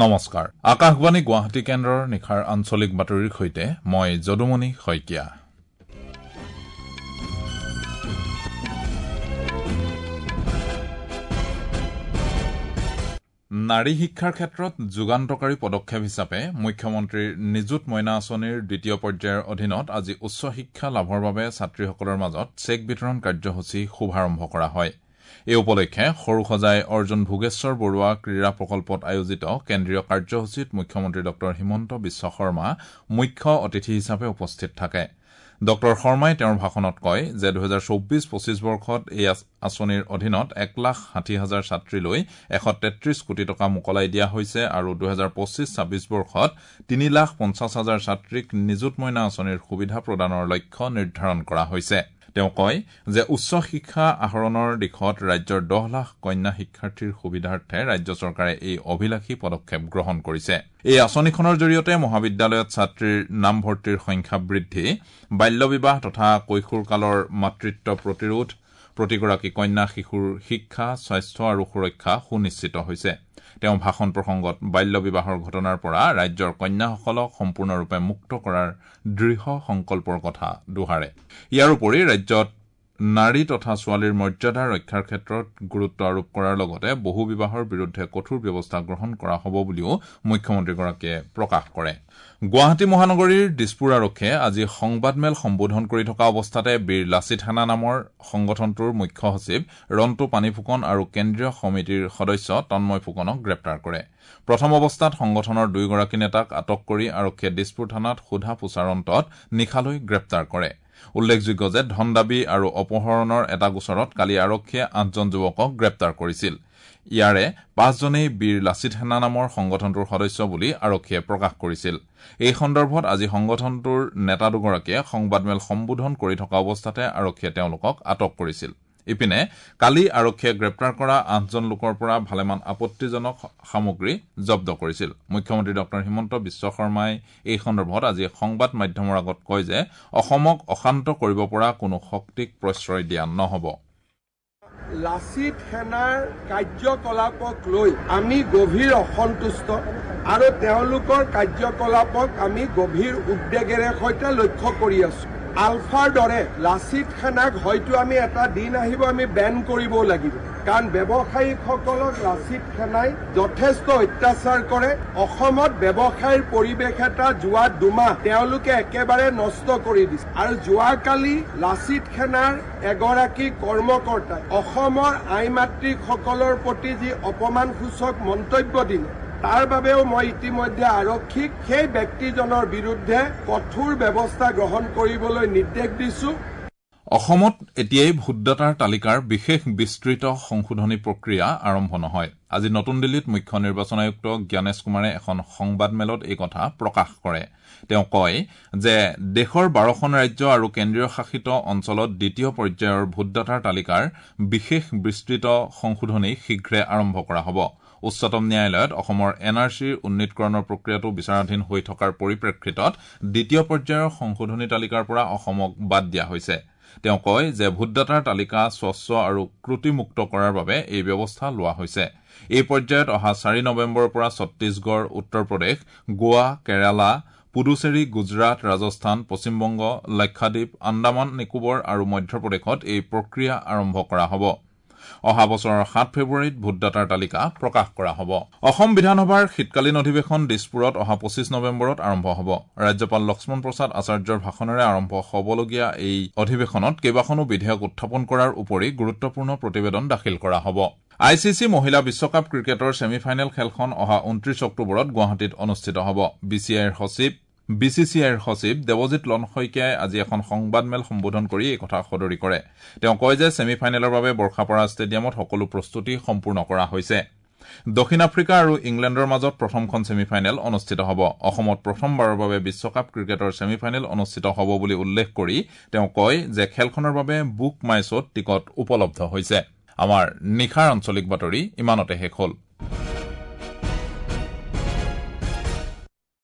নমস্কাৰ, আকাশবাণী গুৱাহাটী কেন্দ্ৰৰ নিশাৰ আঞ্চলিক বাতৰিৰ সৈতে মই যদুমণি শইকীয়া। নাৰী শিক্ষাৰ ক্ষেত্ৰত যুগান্তকাৰী পদক্ষেপ হিচাপে মুখ্যমন্ত্ৰীৰ নিযুত মইনা আঁচনিৰ দ্বিতীয় পৰ্যায়ৰ অধীনত আজি উচ্চ শিক্ষা লাভৰ বাবে ছাত্ৰীসকলৰ মাজত চেক বিতৰণ কাৰ্যসূচী শুভাৰম্ভ কৰা হয়। এই উপলক্ষে সৰুসজাই অৰ্জুন ভোগেশ্বৰ বৰুৱা ক্ৰীড়া প্ৰকল্পত আয়োজিত কেন্দ্ৰীয় কাৰ্যসূচীত মুখ্যমন্ত্ৰী ডঃ হিমন্ত বিশ্ব শৰ্মা মুখ্য অতিথি হিচাপে উপস্থিত থাকে। ডঃ শৰ্মাই তেওঁৰ ভাষণত কয় যে ২০২৪-২৫ বৰ্ষত এই আঁচনিৰ অধীনত ১,৬০,০০০ ছাত্ৰীলৈ ১৩৩ কোটি টকা মোকলাই দিয়া হৈছে আৰু ২০২৫-২৬ বৰ্ষত ৩,৫০,০০০ ছাত্ৰীক নিযুত মইনা আঁচনিৰ সুবিধা প্ৰদানৰ লক্ষ্য নিৰ্ধাৰণ কৰা হৈছে। তেওঁ কয় যে উচ্চ শিক্ষা আহৰণৰ দিশত ৰাজ্যৰ ১০ লাখ কন্যা শিক্ষাৰ্থীৰ সুবিধাৰ্থে ৰাজ্য চৰকাৰে এই অভিলাষী পদক্ষেপ গ্ৰহণ কৰিছে। এই আঁচনিখনৰ জৰিয়তে মহাবিদ্যালয়ত ছাত্ৰীৰ নামভৰ্তিৰ সংখ্যা বৃদ্ধি, বাল্য বিবাহ তথা কৈশোৰকালৰ মাতৃত্ব প্ৰতিৰোধ, প্ৰতিগৰাকী কন্যা শিশুৰ শিক্ষা, স্বাস্থ্য আৰু সুৰক্ষা সুনিশ্চিত হৈছে। তেওঁ ভাষণ প্ৰসংগত বাল্য বিবাহৰ ঘটনাৰ পৰা ৰাজ্যৰ কন্যাসকলক সম্পূৰ্ণৰূপে মুক্ত কৰাৰ দৃঢ় সংকল্পৰ কথা দোহাৰে। ইয়াৰ উপৰি ৰাজ্যত নাৰী তথা ছোৱালীৰ মৰ্যাদা ৰক্ষাৰ ক্ষেত্ৰত গুৰুত্ব আৰোপ কৰাৰ লগতে বহু বিবাহৰ বিৰুদ্ধে কঠোৰ ব্যৱস্থা গ্ৰহণ কৰা হ'ব বুলিও মুখ্যমন্ত্ৰীগৰাকীয়ে প্ৰকাশ কৰে। গুৱাহাটী মহানগৰীৰ দিছপুৰ আৰক্ষীয়ে আজি সংবাদমেল সম্বোধন কৰি থকা অৱস্থাতে বীৰ লাচিত সেনা নামৰ সংগঠনটোৰ মুখ্য সচিব ৰণ্টু পানীফুকন আৰু কেন্দ্ৰীয় সমিতিৰ সদস্য তন্ময় ফুকনক গ্ৰেপ্তাৰ কৰে। প্ৰথম অৱস্থাত সংগঠনৰ দুয়োগৰাকী নেতাক আটক কৰি আৰক্ষীয়ে দিছপুৰ থানাত সোধা পোছাৰ অন্তত নিশালৈ গ্ৰেপ্তাৰ কৰে। উল্লেখযোগ্য যে ধনদাবী আৰু অপহৰণৰ এটা গোচৰত কালি আৰক্ষীয়ে ৮জন যুৱকক গ্ৰেপ্তাৰ কৰিছিল। ইয়াৰে ৫জনেই বীৰ লাচিত সেনা নামৰ সংগঠনটোৰ সদস্য বুলি আৰক্ষীয়ে প্ৰকাশ কৰিছিল। এই সন্দৰ্ভত আজি সংগঠনটোৰ নেতা দুগৰাকীয়ে সংবাদমেল সম্বোধন কৰি থকা অৱস্থাতে আৰক্ষীয়ে তেওঁলোকক আটক কৰিছিল। ইপিনে কালি আৰক্ষীয়ে গ্ৰেপ্তাৰ কৰা ৮জন লোকৰ পৰা ভালেমান আপত্তিজনক সামগ্ৰী জব্দ কৰিছিল। মুখ্যমন্ত্ৰী ডঃ হিমন্ত বিশ্ব শৰ্মাই এই সন্দৰ্ভত আজি সংবাদ মাধ্যমৰ আগত কয় যে অসমক অশান্ত কৰিব পৰা কোনো শক্তিক প্ৰশ্ৰয় দিয়া নহ'ব। লাচিত সেনাৰ কাৰ্যকলাপক লৈ আমি গভীৰ অসন্তুষ্ট আৰু তেওঁলোকৰ কাৰ্যকলাপক আমি গভীৰ উদ্বেগেৰে সৈতে লক্ষ্য কৰি আছো। আলফাৰ দৰে লাচিত সেনাক হয়তো আমি এটা দিন আহিব আমি বেন কৰিবও লাগিব, কাৰণ ব্যৱসায়ীসকলক লাচিত সেনাই যথেষ্ট অত্যাচাৰ কৰে। অসমত ব্যৱসায়ৰ পৰিৱেশ এটা যোৱা দুমাহ তেওঁলোকে একেবাৰে নষ্ট কৰি দিছে। আৰু যোৱাকালি লাচিত সেনাৰ এগৰাকী কৰ্মকৰ্তাই অসমৰ আই মাতৃসকলৰ প্ৰতি যি অপমানসূচক মন্তব্য দিলে, তাৰ বাবেও মই ইতিমধ্যে আৰক্ষীক সেই ব্যক্তিজনৰ বিৰুদ্ধে কঠোৰ ব্যৱস্থা গ্ৰহণ কৰিবলৈ নিৰ্দেশ দিছো। অসমত এতিয়াই ভোটদাতাৰ তালিকাৰ বিশেষ বিস্তৃত সংশোধনী প্ৰক্ৰিয়া আৰম্ভ নহয়। আজি নতুন দিল্লীত মুখ্য নিৰ্বাচন আয়ুক্ত জ্ঞানেশ কুমাৰে এখন সংবাদমেলত এই কথা প্ৰকাশ কৰে। তেওঁ কয় যে দেশৰ ১২খন ৰাজ্য আৰু কেন্দ্ৰীয় শাসিত অঞ্চলত দ্বিতীয় পৰ্যায়ৰ ভোটদাতাৰ তালিকাৰ বিশেষ বিস্তৃত সংশোধনী শীঘ্ৰে আৰম্ভ কৰা হ'ব। উচ্চতম ন্যায়ালয়ত অসমৰ এন আৰ চিৰ উন্নীতকৰণৰ প্ৰক্ৰিয়াটো বিচাৰাধীন হৈ থকাৰ পৰিপ্ৰেক্ষিতত দ্বিতীয় পৰ্যায়ৰ সংশোধনী তালিকাৰ পৰা অসমক বাদ দিয়া হৈছে। তেওঁ কয় যে ভোটদাতাৰ তালিকা স্বচ্ছ আৰু ত্ৰুটিমুক্ত কৰাৰ বাবে এই ব্যৱস্থা লোৱা হৈছে। এই পৰ্যায়ত অহা ৪ নৱেম্বৰৰ পৰা ছত্তীশগড়, উত্তৰ প্ৰদেশ, গোৱা, কেৰালা, পুডুচেৰী, গুজৰাট, ৰাজস্থান, পশ্চিমবংগ, লাক্ষাদ্বীপ, আন্দামান নিকোবৰ আৰু মধ্যপ্ৰদেশত এই প্ৰক্ৰিয়া আৰম্ভ কৰা হ'ব। অহা বছৰৰ ৭ ফেব্ৰুৱাৰীত ভোটদাতাৰ তালিকা প্ৰকাশ কৰা হ'ব। অসম বিধানসভাৰ শীতকালীন অধিৱেশন দিছপুৰত অহা ২৫ নৱেম্বৰত আৰম্ভ হ'ব। ৰাজ্যপাল লক্ষ্মণ প্ৰসাদ আচাৰ্যৰ ভাষণেৰে আৰম্ভ হ'বলগীয়া এই অধিৱেশনত কেইবাখনো বিধেয়ক উত্থাপন কৰাৰ উপৰি গুৰুত্বপূৰ্ণ প্ৰতিবেদন দাখিল কৰা হ'ব। I C C মহিলা বিশ্বকাপ ক্ৰিকেটৰ ছেমি ফাইনেল খেলখন অহা ২৯ অক্টোবৰত গুৱাহাটীত অনুষ্ঠিত হ'ব। বি চি চি আইৰ সচিব দেৱজিৎ লন শইকীয়াই আজি এখন সংবাদমেল সম্বোধন কৰি এই কথা সদৰি কৰে। তেওঁ কয় যে ছেমি ফাইনেলৰ বাবে বৰ্ষাপাৰা ষ্টেডিয়ামত সকলো প্ৰস্তুতি সম্পূৰ্ণ কৰা হৈছে। দক্ষিণ আফ্ৰিকা আৰু ইংলেণ্ডৰ মাজত প্ৰথমখন ছেমি ফাইনেল অনুষ্ঠিত হ'ব। অসমত প্ৰথমবাৰৰ বাবে বিশ্বকাপ ক্ৰিকেটৰ ছেমি ফাইনেল অনুষ্ঠিত হ'ব বুলি উল্লেখ কৰি তেওঁ কয় যে খেলখনৰ বাবে বুক মাই শ্ব'ত টিকট উপলব্ধ হৈছে। আমাৰ নিশাৰ আঞ্চলিক বাতৰি ইমানতে শেষ হ'ল।